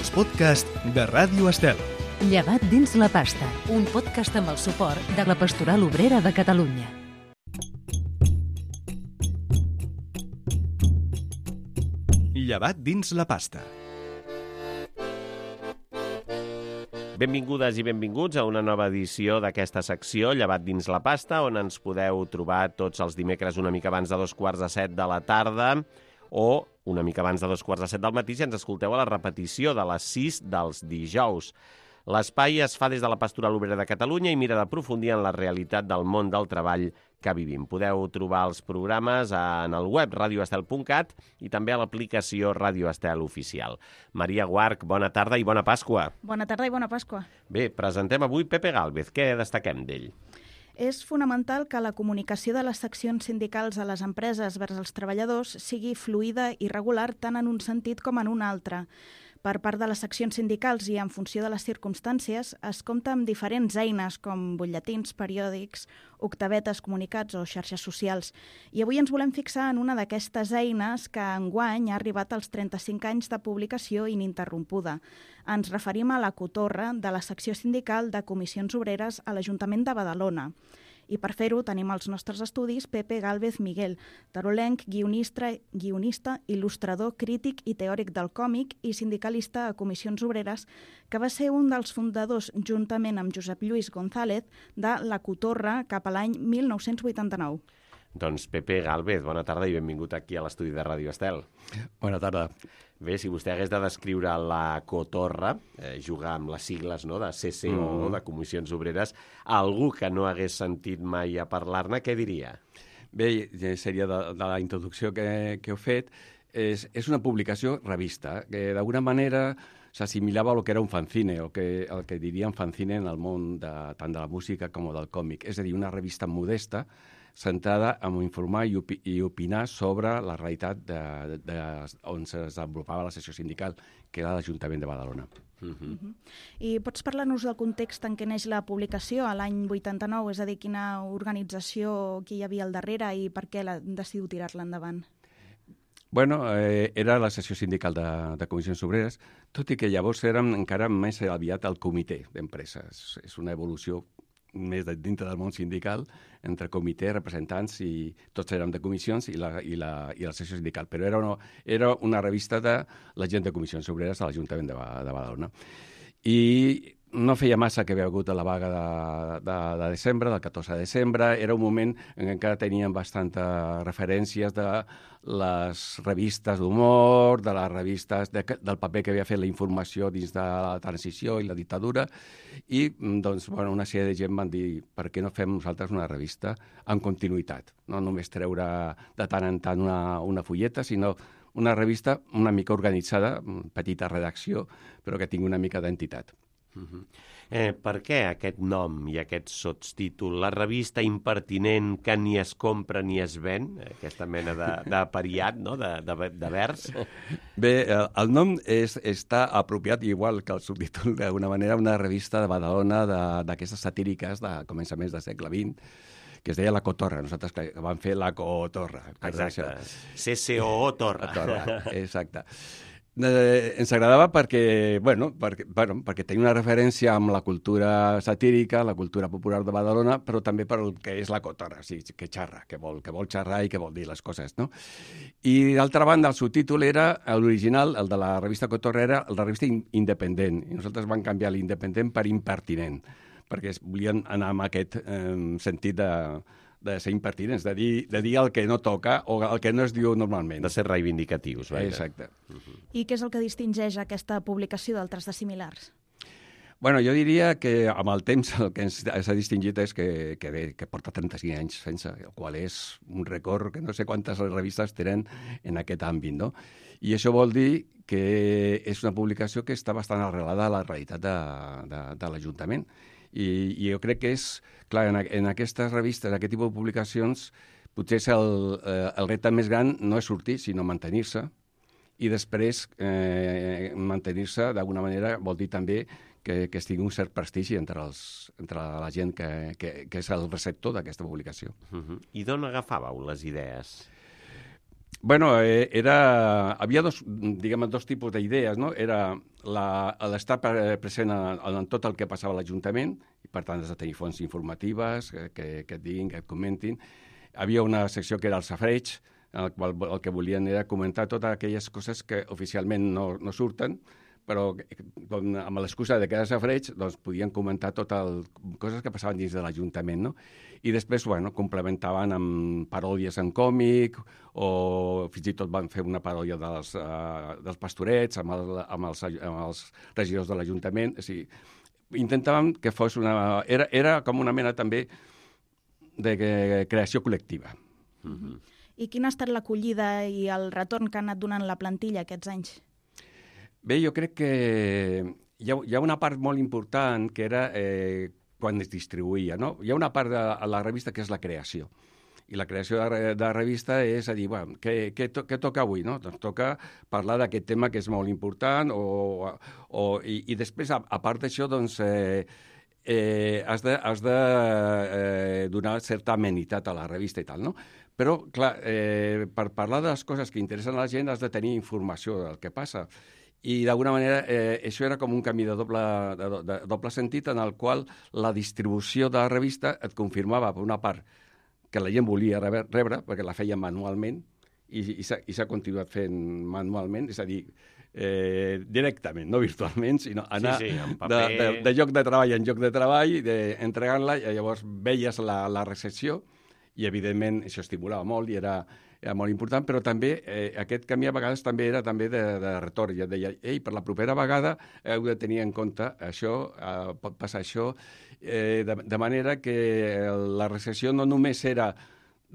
els podcasts de Ràdio Estel. Llevat dins la pasta, un podcast amb el suport de la Pastoral Obrera de Catalunya. Llevat dins la pasta. Benvingudes i benvinguts a una nova edició d'aquesta secció Llevat dins la pasta, on ens podeu trobar tots els dimecres una mica abans de 6:45 de la tarda o una mica abans de 2:45 del matí si ens escolteu a la repetició de les 6 dels dijous. L'espai es fa des de la Pastoral Obrera de Catalunya i mira d'aprofundir en la realitat del món del treball que vivim. Podeu trobar els programes en el web radioestel.cat i també a l'aplicació Radio Estel Oficial. Maria Guarch, bona tarda i bona Pasqua. Bona tarda i bona Pasqua. Bé, presentem avui Pepe Gálvez. Què destaquem d'ell? És fonamental que la comunicació de les seccions sindicals a les empreses vers els treballadors sigui fluida i regular tant en un sentit com en un altre. Per part de les seccions sindicals i en funció de les circumstàncies, es compta amb diferents eines com butlletins, periòdics, octavetes, comunicats o xarxes socials. I avui ens volem fixar en una d'aquestes eines que enguany ha arribat als 35 anys de publicació ininterrompuda. Ens referim a la Cotorra de la secció sindical de Comissions Obreres a l'Ajuntament de Badalona. I per fer-ho tenim als nostres estudis Pepe Gálvez Miguel, tarolenc, guionista, il·lustrador, crític i teòric del còmic i sindicalista a Comissions Obreres, que va ser un dels fundadors, juntament amb Josep Lluís González, de la Cotorra cap a l'any 1989. Doncs Pepe Gálvez, bona tarda i benvingut aquí a l'estudi de Ràdio Estel. Bona tarda. Bé, si vostè hagués de descriure la Cotorra, jugar amb les sigles de CCO, de Comissions Obreres, a algú que no hagués sentit mai a parlar-ne, què diria? Bé, seria de la introducció que heu fet. És una publicació revista, que d'alguna manera s'assimilava al que era un fanzine, el que diríem fanzine en el món tant de la música com del còmic. És a dir, una revista modesta, centrada en informar i opinar sobre la realitat on es desenvolupava la secció sindical, que era l'Ajuntament de Badalona. I pots parlar-nos del context en què neix la publicació a l'any 89, és a dir, quina organització hi havia al darrere i per què decidiu tirar-la endavant? Bueno, era la secció sindical de Comissions Obreres, tot i que llavors érem encara més aviat el comitè d'empreses. És una evolució més dintre del món sindical, entre comitè, representants, i tots érem de comissions i la secció sindical. Però era una revista de la gent de Comissions Obreres a l'Ajuntament de Badalona. I no feia massa que havia hagut la vaga de desembre, del 14 de desembre. Era un moment en què encara teníem bastantes referències de les revistes d'humor, de les revistes del paper que havia fet la informació dins de la transició i la dictadura. I doncs, una sèrie de gent van dir per què no fem nosaltres una revista en continuïtat. No només treure de tant en tant una fulleta, sinó una revista una mica organitzada, petita redacció, però que tingui una mica d'entitat. Per què aquest nom i aquest sotstítol? La revista impertinent que ni es compra ni es ven? Aquesta mena d'apariat, no?, de vers? Bé, el nom està apropiat, igual que el subtítol, d'alguna manera, una revista de Badalona d'aquestes satíriques de començaments del segle XX, que es deia La Cotorra. Nosaltres vam fer La Cotorra. Exacte. CCO Torra. Exacte. Ens agradava perquè tenia una referència amb la cultura satírica, la cultura popular de Badalona, però també per el que és la cotorra, o sigui, que xarra, que vol xerrar i que vol dir les coses, no? I d'altra banda, el subtítol era, l'original, el de la revista Cotorra, era la revista independent, i nosaltres vam canviar l'independent per impertinent, perquè volien anar amb aquest sentit de ser impertinents, de dir el que no toca o el que no es diu normalment. De ser reivindicatius. Exacte. I què és el que distingeix aquesta publicació d'altres de similars? Bueno, jo diria que amb el temps el que s'ha distingit és que porta 35 anys sense, el qual és un record que no sé quantes revistes tenen en aquest àmbit, no? I això vol dir que és una publicació que està bastant arrelada a la realitat de l'Ajuntament. I jo crec que és, clar, en aquestes revistes, aquest tipus de publicacions, potser el repte més gran no és sortir, sinó mantenir-se. I després, mantenir-se d'alguna manera vol dir també que es tingui un cert prestigi entre la gent que és el receptor d'aquesta publicació. I d'on agafàveu les idees? Havia dos tipus d'idees, no? Era l'estar present en tot el que passava a l'Ajuntament, i per tant has de tenir fonts informatives que et diguin, que et comentin. Havia una secció que era el safreig, en el qual el que volien era comentar totes aquelles coses que oficialment no surten, però amb l'excusa de que era safreig, doncs podien comentar coses que passaven dins de l'Ajuntament, no? I després, complementaven amb paròdies en còmic, o fins i tot van fer una paròdia dels pastorets amb els regidors de l'Ajuntament. O sigui, intentàvem que fos Era com una mena també de creació col·lectiva. Mm-hmm. I quina ha estat l'acollida i el retorn que ha anat donant la plantilla aquests anys? Bé, jo crec que hi ha una part molt important que era quan es distribuïa, no? Hi ha una part de la revista que és la creació. I la creació de la revista és a dir, què toca avui, no? Doncs toca parlar d'aquest tema que és molt important i després, a part d'això, doncs, has de donar certa amenitat a la revista i tal, no? Però, clar, per parlar de les coses que interessen a la gent has de tenir informació del que passa. I d'alguna manera això era com un camí de doble sentit en el qual la distribució de la revista et confirmava, per una part, que la gent volia rebre, perquè la feia manualment, i s'ha continuat fent manualment, és a dir, directament, no virtualment, sinó anar de lloc de treball en lloc de treball, entregant-la, i llavors veies la recepció, i evidentment això estimulava molt i era molt important, però també aquest camí a vegades també era de retorn. Ja et deia, per la propera vegada heu de tenir en compte això, pot passar això, de manera que la recepció no només era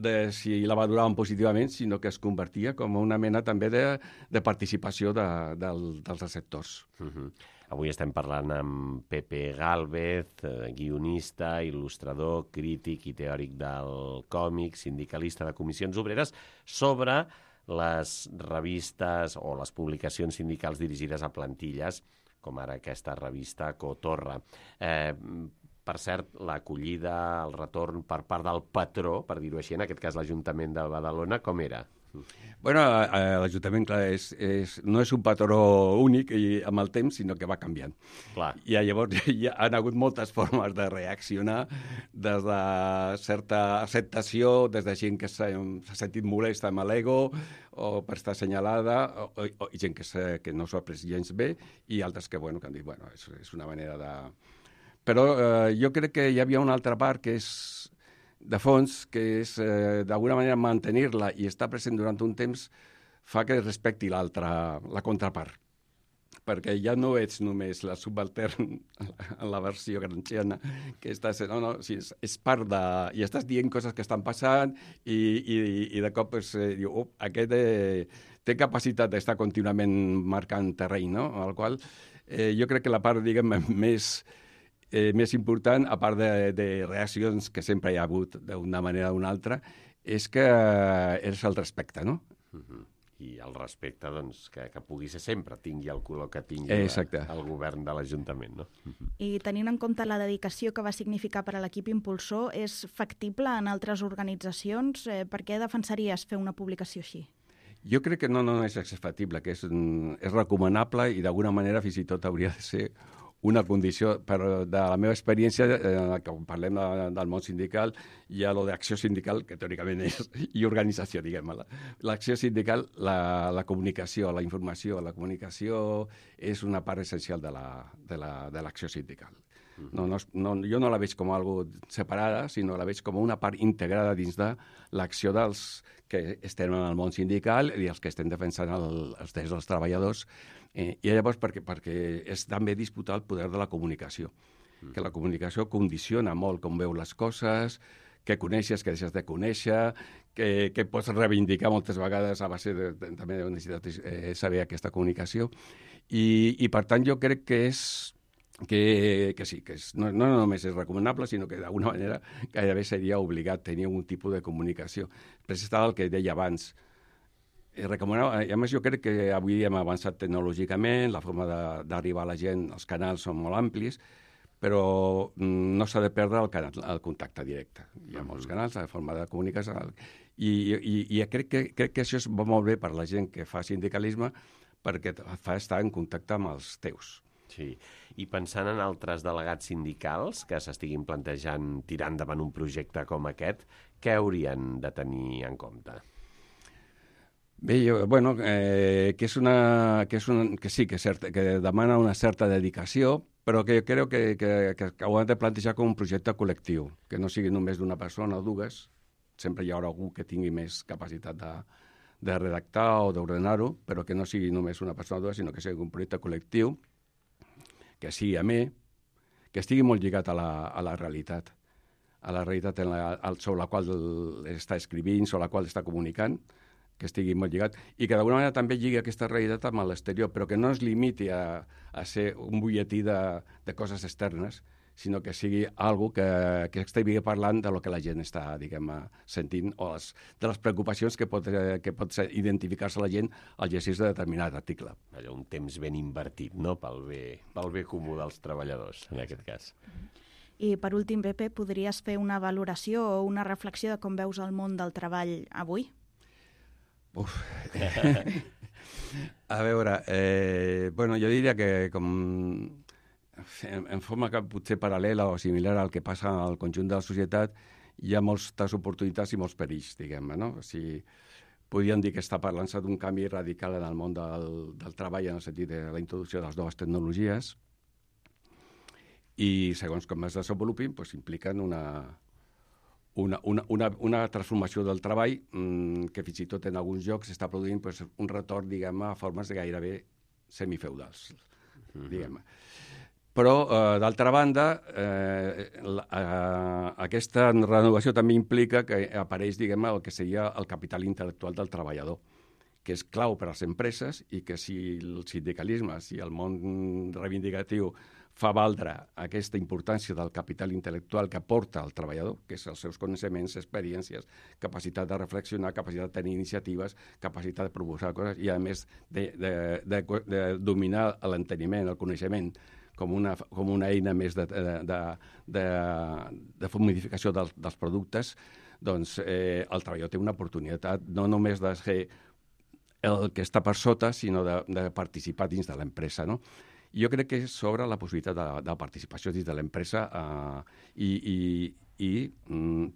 de si la valoraven positivament, sinó que es convertia com una mena també de participació dels receptors. Uh-huh. Avui estem parlant amb Pepe Gálvez, guionista, il·lustrador, crític i teòric del còmic, sindicalista de Comissions Obreres, sobre les revistes o les publicacions sindicals dirigides a plantilles, com ara aquesta revista Cotorra. Per cert, l'acollida, el retorn per part del patró, per dir-ho així, en aquest cas l'Ajuntament de Badalona, com era? L'Ajuntament, clar, no és un patró únic amb el temps, sinó que va canviant. Clar. I llavors hi han hagut moltes formes de reaccionar, des de certa acceptació, des de gent que s'ha sentit molesta amb l'ego o per estar assenyalada, o gent que no s'ho ha pres gens bé, i altres que han dit, és una manera de... Però jo crec que hi havia una altra part que és de fons, que és d'alguna manera mantenir-la i estar present durant un temps fa que respecti la contrapart. Perquè ja no ets només la subaltern en la versió granxiana, que estàs... és part de... I estàs dient coses que estan passant i de cop diu, aquest té capacitat d'estar contínuament marcant terreny, no? Amb el qual jo crec que la part, diguem, més important, a part de reaccions que sempre hi ha hagut d'una manera o d'una altra, és que és el respecte, no? Uh-huh. I el respecte, doncs, que pugui ser sempre, tingui el color que tingui el govern de l'Ajuntament, no? Uh-huh. I tenint en compte la dedicació que va significar per a l'equip impulsor, és factible en altres organitzacions? Per què defensaries fer una publicació així? Jo crec que no és factible, que és recomanable i d'alguna manera fins i tot hauria de ser una condició, però de la meva experiència, quan parlem del món sindical, hi ha lo d'acció sindical, que teòricament és, i organització, diguem-ne. L'acció sindical, la comunicació, la informació, la comunicació és una part essencial de l'acció sindical. Jo no la veig com algo separada, sinó la veig com una part integrada dins de l'acció dels que estem en el món sindical i els que estem defensant els drets dels treballadors. I llavors perquè és també disputar el poder de la comunicació, que la comunicació condiciona molt com veu les coses, què coneixes, què deixes de conèixer, que pots reivindicar moltes vegades a base també de necessitat saber aquesta comunicació. I per tant jo crec que sí, que no només és recomanable, sinó que d'alguna manera gairebé seria obligat tenir un tipus de comunicació. Després estava el que deia abans, recomanava, a més jo crec que avui hem avançat tecnològicament, la forma d'arribar a la gent, els canals són molt amplis, però no s'ha de perdre el contacte directe. Hi ha molts canals, la forma de comunicació, i crec que això va molt bé per la gent que fa sindicalisme, perquè fa estar en contacte amb els teus. Sí, i pensant en altres delegats sindicals que s'estiguin plantejant tirar endavant un projecte com aquest, què haurien de tenir en compte? Bé, que sí, que demana una certa dedicació, però que jo crec que ho han de plantejar com un projecte col·lectiu, que no sigui només d'una persona o dues, sempre hi haurà algú que tingui més capacitat de redactar o d'ordenar-ho, però que no sigui només una persona o dues, sinó que sigui un projecte col·lectiu, que sigui amè, que estigui molt lligat a la realitat, sobre la qual està escrivint, sobre la qual està comunicant, que estigui molt lligat, i que d'alguna manera també lligui aquesta realitat amb l'exterior, però que no es limiti a ser un butlletí de coses externes, sinó que sigui algo que estigui parlant de lo que la gent està, diguem, sentint, o de les preocupacions que pot identificar-se la gent al llegir de determinat article. Un temps ben invertit, no?, pel bé comú dels treballadors, en aquest cas. I, per últim, Pepe, podries fer una valoració o una reflexió de com veus el món del treball avui? A veure, jo diria que en forma que potser paral·lela o similar al que passa al conjunt de la societat, hi ha moltes oportunitats i molts perills, diguem-ne, no? Podríem dir que està parlant-se d'un canvi radical en el món del treball, en el sentit de la introducció de les noves tecnologies, i segons com es desenvolupin, impliquen una transformació del treball que fins i tot en alguns llocs s'està produint un retorn, diguem-ne, a formes de gairebé semifeudals, diguem-ne. Però, d'altra banda, aquesta renovació també implica que apareix, diguem-ne, el que seria el capital intel·lectual del treballador, que és clau per a les empreses i que si el sindicalisme, si el món reivindicatiu fa valdre aquesta importància del capital intel·lectual que aporta el treballador, que és els seus coneixements, experiències, capacitat de reflexionar, capacitat de tenir iniciatives, capacitat de proposar coses i, a més, de dominar l'enteniment, el coneixement, com una eina més de modificació dels productes, doncs el treballador té una oportunitat no només de ser el que està per sota, sinó de participar dins de l'empresa, no? Jo crec que s'obre la possibilitat de participació dins de l'empresa i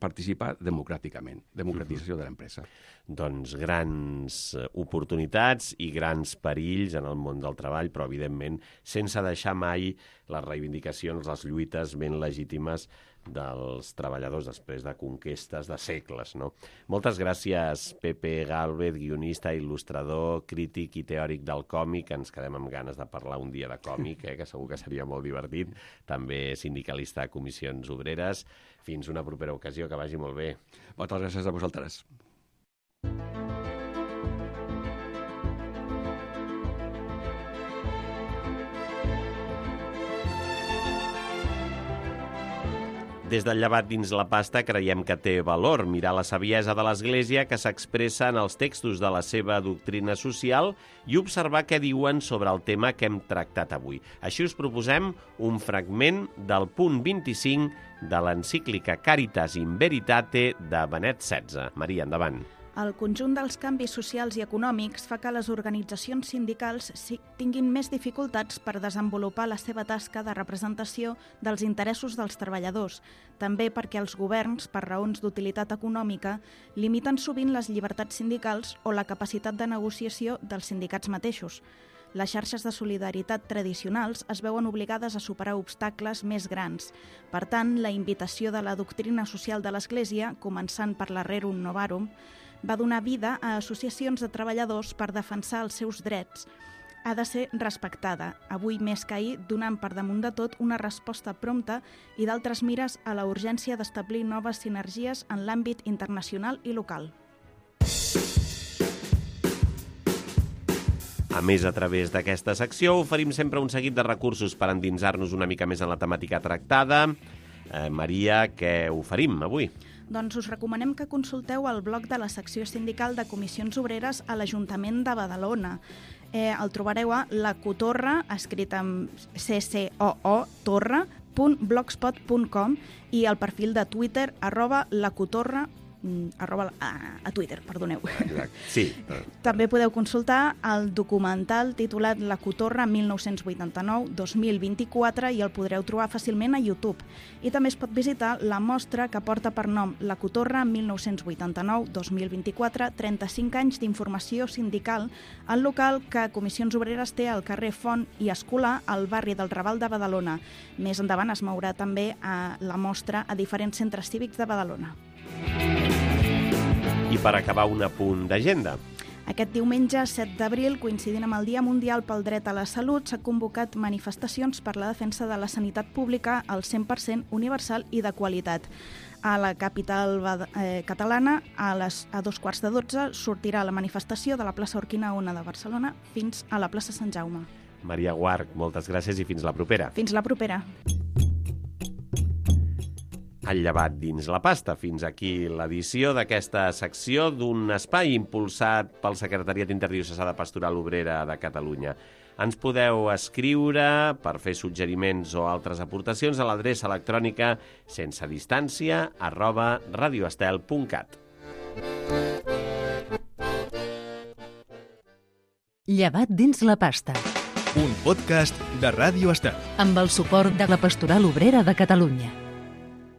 participar democràticament, democratització de l'empresa. Doncs grans oportunitats i grans perills en el món del treball, però evidentment sense deixar mai les reivindicacions, les lluites ben legítimes dels treballadors després de conquestes de segles, no? Moltes gràcies, Pepe Gálvez, guionista, il·lustrador, crític i teòric del còmic. Ens quedem amb ganes de parlar un dia de còmic, que segur que seria molt divertit. També sindicalista a Comissions Obreres. Fins una propera ocasió, que vagi molt bé. Moltes gràcies a vosaltres. Des del llevat dins la pasta creiem que té valor mirar la saviesa de l'Església que s'expressa en els textos de la seva doctrina social i observar què diuen sobre el tema que hem tractat avui. Així us proposem un fragment del punt 25 de l'encíclica Caritas in Veritate de Benet XVI. Maria, endavant. El conjunt dels canvis socials i econòmics fa que les organitzacions sindicals tinguin més dificultats per desenvolupar la seva tasca de representació dels interessos dels treballadors, també perquè els governs, per raons d'utilitat econòmica, limiten sovint les llibertats sindicals o la capacitat de negociació dels sindicats mateixos. Les xarxes de solidaritat tradicionals es veuen obligades a superar obstacles més grans. Per tant, la invitació de la doctrina social de l'Església, començant per la Rerum Novarum, va donar vida a associacions de treballadors per defensar els seus drets. Ha de ser respectada, avui més que ahir, donant per damunt de tot una resposta prompta i d'altres mires a la urgència d'establir noves sinergies en l'àmbit internacional i local. A més, a través d'aquesta secció oferim sempre un seguit de recursos per endinsar-nos una mica més en la temàtica tractada. Maria, què oferim avui? Doncs us recomanem que consulteu el blog de la secció sindical de Comissions Obreres a l'Ajuntament de Badalona. El trobareu a La Cotorra, escrit amb CCOO, torra, @lacotorra.blogspot.com i el perfil de Twitter @lacotorra a Twitter, perdoneu. Exacte. Sí. També podeu consultar el documental titulat La Cotorra 1989-2024 i el podreu trobar fàcilment a YouTube. I també es pot visitar la mostra que porta per nom La Cotorra 1989-2024, 35 anys d'informació sindical, al local que Comissions Obreres té al carrer Font i Escolà, al barri del Raval de Badalona. Més endavant es mourà també a la mostra a diferents centres cívics de Badalona. I per acabar, un apunt d'agenda. Aquest diumenge, 7 d'abril, coincidint amb el Dia Mundial pel Dret a la Salut, s'ha convocat manifestacions per la defensa de la sanitat pública al 100% universal i de qualitat. A la capital catalana, a 12:15, sortirà la manifestació de la plaça Urquinaona de Barcelona fins a la plaça Sant Jaume. Maria Guarch, moltes gràcies i fins la propera. Fins la propera. El llevat dins la pasta. Fins aquí l'edició d'aquesta secció d'un espai impulsat pel Secretariat Interdiocesà de Pastoral Obrera de Catalunya. Ens podeu escriure per fer suggeriments o altres aportacions a l'adreça electrònica sensedistància@radioestel.cat. Llevat dins la pasta. Un podcast de Ràdio Estel. Amb el suport de la Pastoral Obrera de Catalunya.